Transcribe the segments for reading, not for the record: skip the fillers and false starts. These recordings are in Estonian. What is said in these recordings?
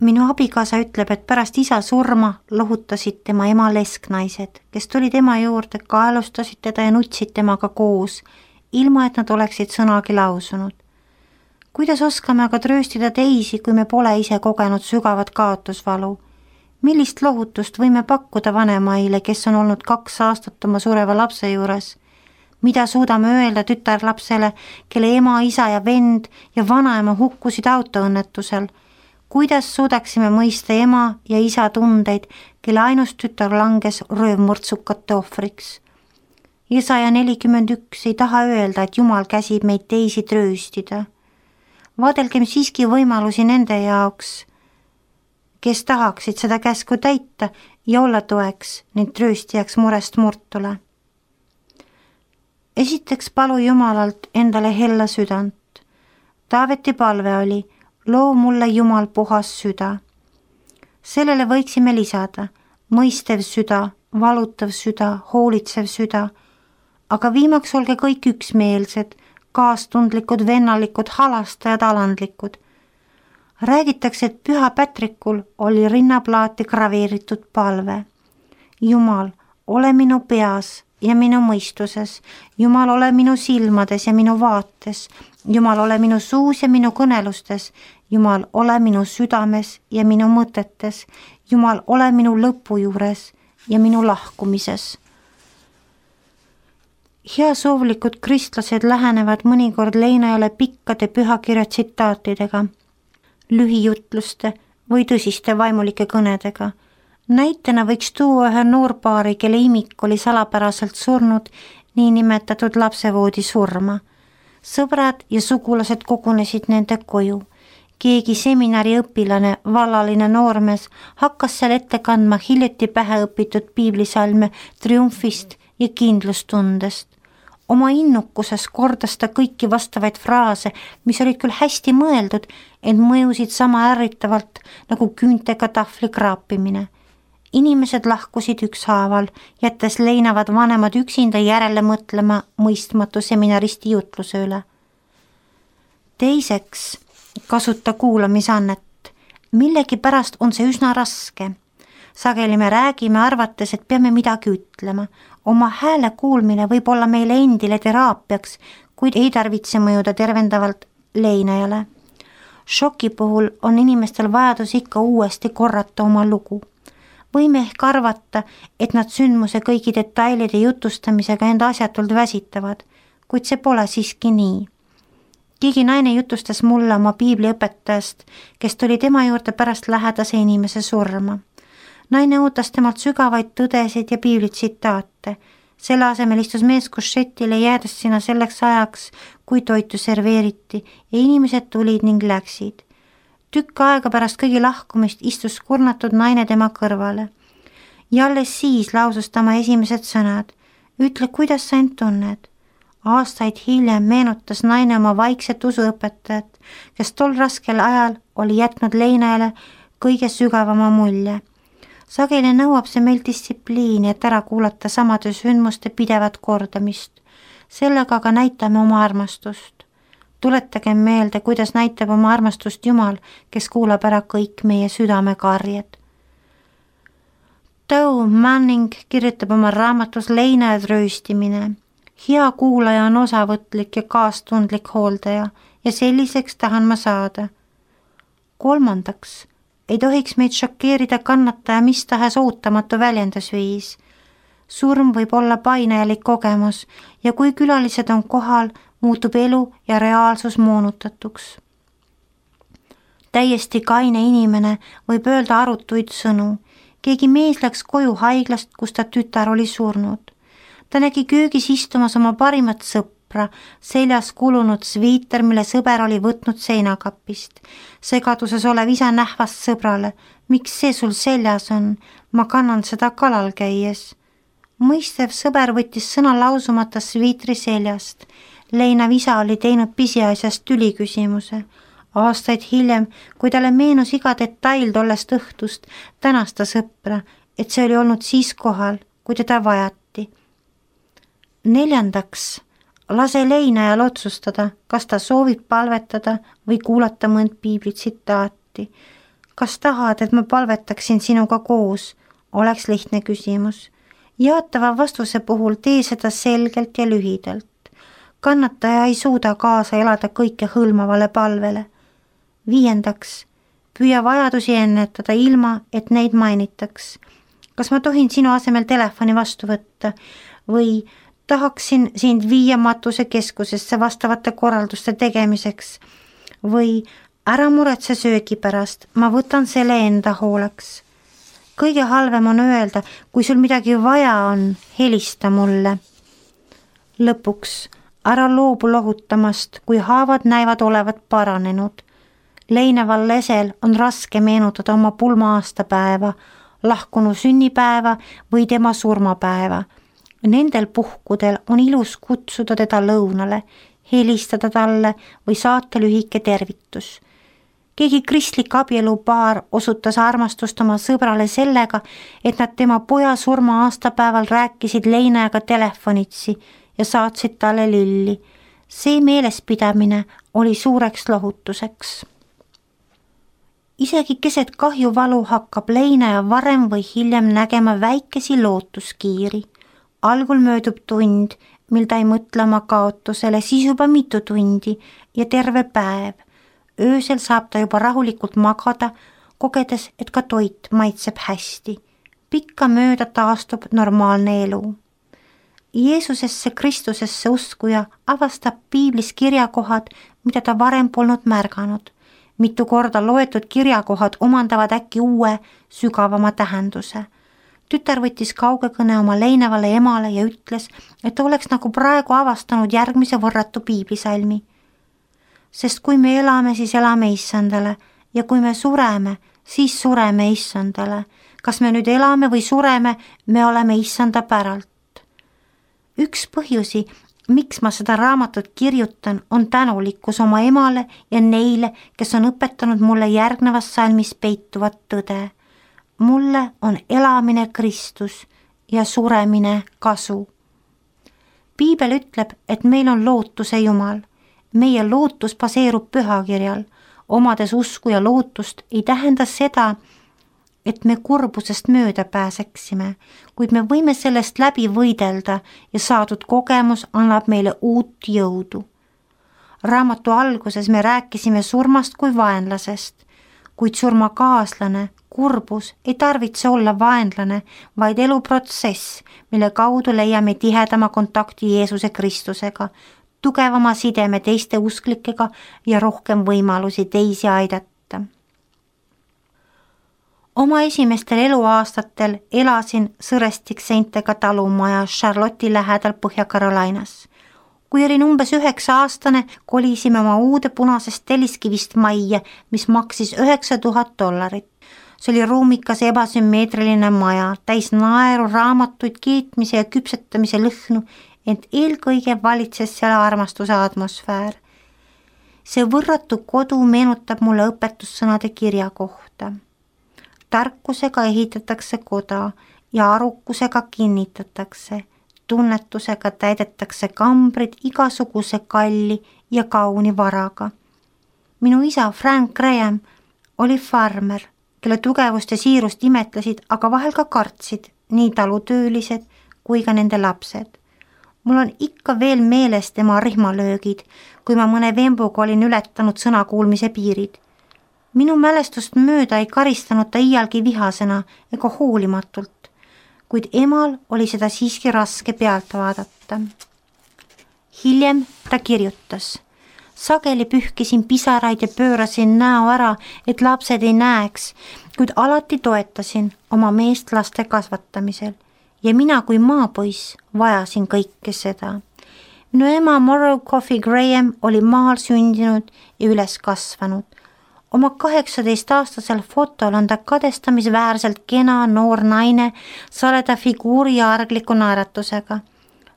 Minu abikaasa ütleb, et pärast isa surma lohutasid tema ema lesknaised, kes tulid ema juurde, kaelustasid teda ja nutsid temaga koos, ilma et nad oleksid sõnagi lausunud. Kuidas oskame aga trööstida teisi, kui me pole ise kogenud sügavat kaotusvalu? Millist lohutust võime pakkuda vanemaile, kes on olnud 2 aastat oma sureva lapse juures? Mida suudame öelda tütarlapsele, kelle ema, isa ja vend ja vanaema hukkusid autoõnnetusel? Kuidas suudaksime mõista ema ja isa tundeid, kelle ainus tütar langes röövmurtsukate ohvriks? Jesaja 41 ei taha öelda, et Jumal käsib meid teisi trööstida. Vaadelgem siiski võimalusi nende jaoks, kes tahaksid seda käsku täita ja olla toeks ning trööstijaks murest murtule. Esiteks palu Jumalalt endale hella südant. Taaveti palve oli: loo mulle Jumal puhas süda. Sellele võiksime lisada mõistev süda, valutav süda, hoolitsev süda, aga viimaks olge kõik üksmeelsed, kaastundlikud, vennalikud, halastajad, alandlikud. Räägitakse, et Püha Patrikul oli rinnaplaati graveeritud palve: Jumal, ole minu peas ja minu mõistuses, Jumal, ole minu silmades ja minu vaates, Jumal, ole minu suus ja minu kõnelustes, Jumal, ole minu südames ja minu mõtetes, Jumal, ole minu lõpu juures ja minu lahkumises. Heasoovlikud kristlased lähenevad mõnikord leinajale pikkade pühakirja tsitaatidega, lühijutluste või tõsiste vaimulike kõnedega. Näitena võiks tuua ühe noorpaari, kelle imik oli salapäraselt surnud niinimetatud lapsevoodi surma. Sõbrad ja sugulased kogunesid nende koju. Keegi seminari õpilane, vallaline noormees hakkas seal ette kandma hiljuti pähe õpitud piiblisalme triumfist ja kindlustundest. Oma innukuses kordas ta kõiki vastavaid fraase, mis olid küll hästi mõeldud, ent mõjusid sama ärritavalt nagu küüntega tahvli kraapimine. Inimesed lahkusid ükshaaval, jättes leinavad vanemad üksinda järele mõtlema mõistmatu seminaristi jutluse üle. Teiseks, kasuta kuulamisannet. Millegipärast on see üsna raske. Sageli me räägime arvates, et peame midagi ütlema. Oma hääle kuulmine võib olla meile endile teraapiaks, kuid ei tarvitse mõjuda tervendavalt leinajale. Šoki puhul on inimestel vajadus ikka uuesti korrata oma lugu. Võime ehk arvata, et nad sündmuse kõigi detailide jutustamisega enda asjatult väsitavad, kuid see pole siiski nii. Keegi naine jutustas mulle oma piibliõpetajast, kes tuli tema juurde pärast lähedase inimese surma. Naine ootas temalt sügavaid tõdesid ja piiblitsitaate. Selle asemel istus mees košetile, jäädes sinna selleks ajaks, kui toitu serveeriti ja inimesed tulid ning läksid. Tükk aega pärast kõigi lahkumist istus kurnatud naine tema kõrvale. Ja alles siis lausus ta oma esimesed sõnad: ütle, kuidas sa end tunned. Aastaid hiljem meenutas naine oma vaikset usuõpetajat, kes tol raskel ajal oli jätnud leinajale kõige sügavama mulje. Sageli nõuab see meil distsipliini, et ära kuulata samade sündmuste pidevat kordamist. Sellega aga näitame oma armastust. Tuletagem meelde, kuidas näitab oma armastust Jumal, kes kuulab ära kõik meie südamekarjed. Doe Manning kirjutab oma raamatus Leinajad rööstimine. Hea kuulaja on osavõtlik ja kaastundlik hooldaja ja selliseks tahan ma saada. Kolmandaks, ei tohiks meid šokeerida kannataja mis tahes ootamatu väljendusviis. Surm võib olla painajalik kogemus ja kui külalised on kohal, muutub elu ja reaalsus moonutatuks. Täiesti kaine inimene võib öelda arutuid sõnu. Keegi mees läks koju haiglast, kus ta tütar oli surnud. Ta nägi köögis istumas oma parimat sõpra, seljas kulunud sviiter, mille sõber oli võtnud seinakapist. Segaduses olev isa nähvas sõbrale: miks see sul seljas on? Ma kannan seda kalal käies. Mõistev sõber võttis sõna lausumata sviitri seljast. Leinav isa oli teinud pisiasjast tüliküsimuse. Aastaid hiljem, kui talle meenus iga detail tollest õhtust, tänas ta sõpra, et see oli olnud siis kohal, kui teda vajati. Neljandaks, lase leinajal otsustada, kas ta soovib palvetada või kuulata mõnd piiblitsitaati. kas tahad, et ma palvetaksin sinuga koos, oleks lihtne küsimus. Jaatava vastuse puhul tee seda selgelt ja lühidalt. Kannataja ei suuda kaasa elada kõike hõlmavale palvele. 5. Püüa vajadusi ennetada ilma, et neid mainitaks. Kas ma tohin sinu asemel telefoni vastu võtta või tahaksin sind viia matusekeskusesse vastavate korralduste tegemiseks või ära muretse söögi pärast, ma võtan selle enda hooleks. Kõige halvem on öelda, kui sul midagi vaja on, helista mulle. Lõpuks ära loobu lohutamast, kui haavad näivad olevat paranenud. Leineval lesel on raske meenutada oma pulma aastapäeva, lahkunu sünnipäeva või tema surmapäeva. Nendel puhkudel on ilus kutsuda teda lõunale, helistada talle või saata lühike tervitus. Keegi kristlik abielupaar osutas armastust oma sõbrale sellega, et nad tema poja surma aastapäeval rääkisid leinajaga telefonitsi ja saatsid talle lilli. See meelespidamine oli suureks lohutuseks. Isegi keset kahjuvalu hakkab leinaja varem või hiljem nägema väikesi lootuskiiri. Algul möödub tund, mil ta ei mõtle oma kaotusele, siis juba mitu tundi ja terve päev. Öösel saab ta juba rahulikult magada, kogedes, et ka toit maitseb hästi. Pikkamööda taastub normaalne elu. Jeesusesse Kristusesse uskuja avastab piiblis kirjakohad, mida ta varem polnud märganud. Mitu korda loetud kirjakohad omandavad äkki uue, sügavama tähenduse. Tütar võttis kaugekõne oma leinevale emale ja ütles, et ta oleks nagu praegu avastanud järgmise võrratu piiblisalmi. Sest kui me elame, siis elame Issandale ja kui me sureme, siis sureme Issandale. Kas me nüüd elame või sureme, me oleme Issanda päralt. Üks põhjusi, miks ma seda raamatut kirjutan, on tänulikkus oma emale ja neile, kes on õpetanud mulle järgnevas salmis peituvat tõde. Mulle on elamine Kristus ja suremine kasu. Piibel ütleb, et meil on lootuse Jumal. Meie lootus baseerub pühakirjal. Omades usku ja lootust ei tähenda seda, et me kurbusest mööda pääseksime, kuid me võime sellest läbi võidelda ja saadud kogemus annab meile uut jõudu. Raamatu alguses me rääkisime surmast kui vaenlasest, kuid surmakaaslane, kurbus ei tarvitse olla vaenlane, vaid eluprotsess, mille kaudu leiame tihedama kontakti Jeesuse Kristusega, tugevama sideme teiste usklikega ja rohkem võimalusi teisi aidata. Oma esimestel eluaastatel elasin Sõrestikseintega talumaja Charlotte'i lähedal Põhja-Carolinas. Kui olin umbes 9-aastane, kolisime oma uude punasest telliskivist majja, mis maksis $9000. See oli ruumikas ebasümmeetriline maja, täis naeru, raamatuid, keetmise ja küpsetamise lõhnu, ent eelkõige valitses seal armastuse atmosfäär. See võrratu kodu meenutab mulle õpetussõnade kirja kohta. Tarkusega ehitatakse koda ja arukusega kinnitatakse. Tunnetusega täidetakse kambrid igasuguse kalli ja kauni varaga. Minu isa Frank Graham oli farmer, kelle tugevust ja siirust imetlesid, aga vahel ka kartsid nii talutöölised kui ka nende lapsed. Mul on ikka veel meeles tema rihmalöögid, kui ma mõne vembuga olin ületanud sõnakuulmise piirid. Minu mälestust mööda ei karistanud ta iialgi vihasena ega hoolimatult, kuid emal oli seda siiski raske pealt vaadata. Hiljem ta kirjutas. Sageli pühkisin pisaraid ja pöörasin näo ära, et lapsed ei näeks, kuid alati toetasin oma meest laste kasvatamisel. Ja mina kui maapoiss vajasin kõike seda. Minu ema Morrow Coffey Graham oli maal sündinud ja üles kasvanud. Oma 18-aastasel fotol on ta kadestamisväärselt kena noor naine saleda figuuri ja argliku naeratusega.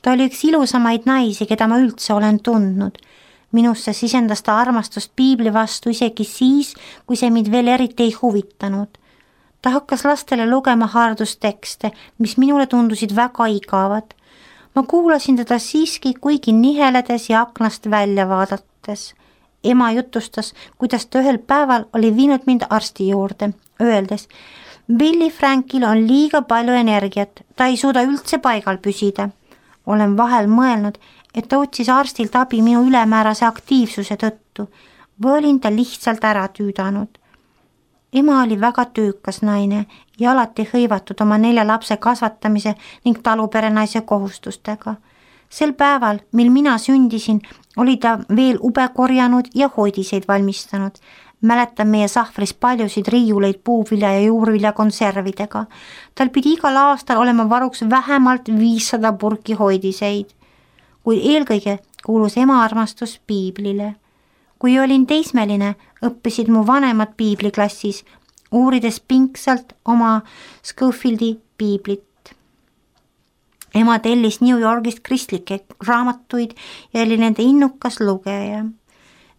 Ta oli üks ilusamaid naisi, keda ma üldse olen tundnud. Minusse sisendas ta armastust piibli vastu isegi siis, kui see mind veel eriti ei huvitanud. Ta hakkas lastele lugema haardustekste, mis minule tundusid väga igavad. Ma kuulasin teda siiski, kuigi niheledes ja aknast välja vaadates. Ema jutustas, kuidas ta ühel päeval oli viinud mind arsti juurde, öeldes: Billy Frankil on liiga palju energiat, ta ei suuda üldse paigal püsida. Olen vahel mõelnud, et ta otsis arstilt abi minu ülemäärase aktiivsuse tõttu või olin ta lihtsalt ära tüüdanud. Ema oli väga töökas naine ja alati hõivatud oma 4 lapse kasvatamise ning taluperenaise kohustustega. Sel päeval, mil mina sündisin, oli ta veel ube korjanud ja hoidiseid valmistanud. Mäletan meie sahvris paljusid riiuleid puuvilja ja juurvilja konservidega. Tal pidi igal aastal olema varuks vähemalt 500 purki hoidiseid. Kuid eelkõige kuulus ema armastus piiblile. Kui olin teismeline, õppisid mu vanemad piibliklassis, uurides pingsalt oma Schofieldi piiblit. Ema tellis New Yorgist kristlikke raamatuid ja oli nende innukas lugeja.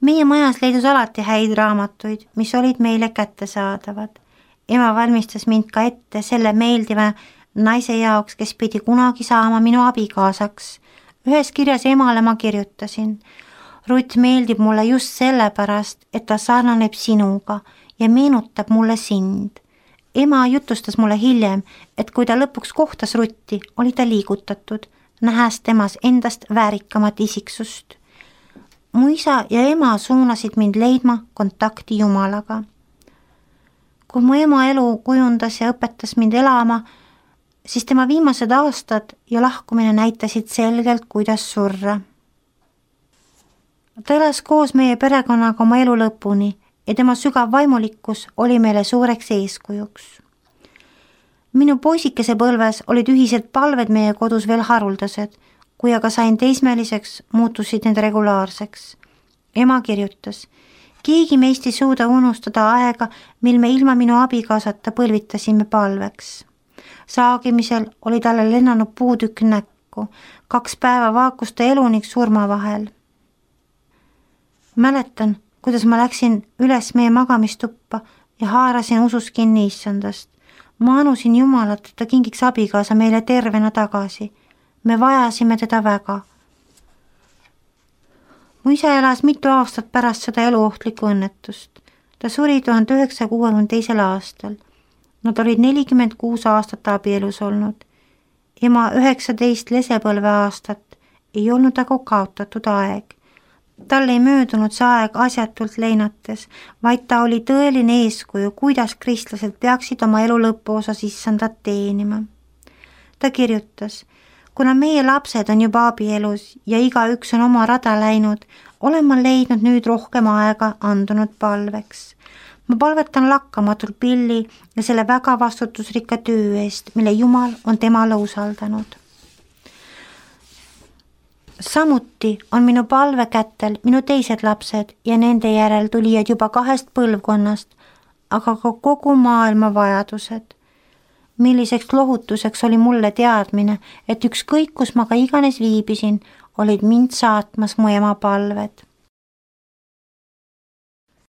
Meie majas leidus alati häid raamatuid, mis olid meile kättesaadavad. Ema valmistas mind ka ette selle meeldiva naise jaoks, kes pidi kunagi saama minu abikaasaks. Ühes kirjas emale ma kirjutasin: Rutt meeldib mulle just sellepärast, et ta sarnaneb sinuga ja meenutab mulle sind. Ema jutustas mulle hiljem, et kui ta lõpuks kohtas Rutti, oli ta liigutatud, nähes temas endast väärikamat isiksust. Mu isa ja ema suunasid mind leidma kontakti Jumalaga. Kui mu ema elu kujundas ja õpetas mind elama, siis tema viimased aastad ja lahkumine näitasid selgelt, kuidas surra. Ta elas koos meie perekonnaga oma elu lõpuni ja tema sügav vaimulikkus oli meile suureks eeskujuks. Minu poisikese põlves olid ühised palved meie kodus veel haruldased, kui aga sain teismeliseks, muutusid need regulaarseks. Ema kirjutas: keegi meist ei suuda unustada aega, mil me ilma minu abikaasata põlvitasime palveks. Saagimisel oli talle lennanud puutükk näkku, 2 päeva vaakus ta elu ning surma vahel. Mäletan, kuidas ma läksin üles meie magamistuppa ja haarasin usus kinni issandast. Ma anusin Jumalat, et ta kingiks abikaasa meile tervena tagasi. Me vajasime teda väga. Mu isa elas mitu aastat pärast seda eluohtlikku õnnetust. Ta suri 1962. aastal. Nad olid 46 aastat abielus olnud. Ema 19 lesepõlve aastat ei olnud aga kaotatud aeg. Tal ei möödunud see aeg asjatult leinates, vaid ta oli tõeline eeskuju, kuidas kristlased peaksid oma elu lõpuosas issandat teenima. Ta kirjutas: kuna meie lapsed on juba abielus ja igaüks on oma rada läinud, olen ma leidnud nüüd rohkem aega andunud palveks. Ma palvetan lakkamatult Billy ja selle väga vastutusrikka töö eest, mille Jumal on temale usaldanud. Samuti on minu palvekätel minu teised lapsed ja nende järel tulijad juba 2 põlvkonnast, aga ka kogu maailma vajadused. Milliseks lohutuseks oli mulle teadmine, et ükskõik kus ma ka iganes viibisin, olid mind saatmas mu ema palved.